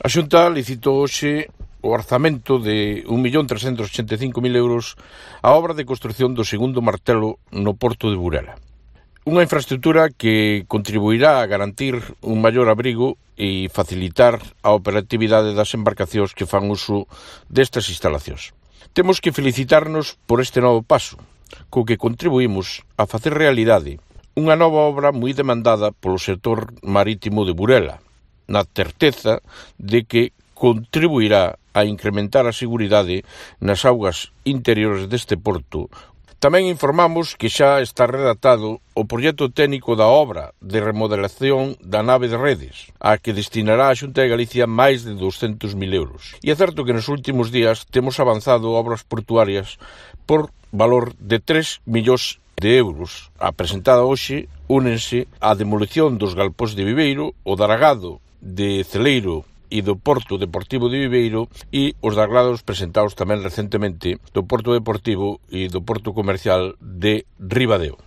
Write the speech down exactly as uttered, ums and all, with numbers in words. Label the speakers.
Speaker 1: A Xunta licitou hoxe o orzamento de un millón trescentos ochenta e cinco mil euros a obra de construción do segundo martelo no porto de Burela. Unha infraestructura que contribuirá a garantir un maior abrigo e facilitar a operatividade das embarcacións que fan uso destas instalacións. Temos que felicitarnos por este novo paso, co que contribuímos a facer realidade unha nova obra moi demandada polo sector marítimo de Burela, na certeza de que contribuirá a incrementar a seguridade nas augas interiores deste porto. Tamén informamos que xa está redactado o proxecto técnico da obra de remodelación da nave de redes, a que destinará a Xunta de Galicia máis de douscentos mil euros. E é certo que nos últimos días temos avanzado obras portuarias por valor de tres millóns de euros. A presentada hoxe únense a demolición dos galpóns de Viveiro, o dragado de Celeiro e do Porto Deportivo de Viveiro e os dragados presentados tamén recentemente do Porto Deportivo e do Porto Comercial de Ribadeo.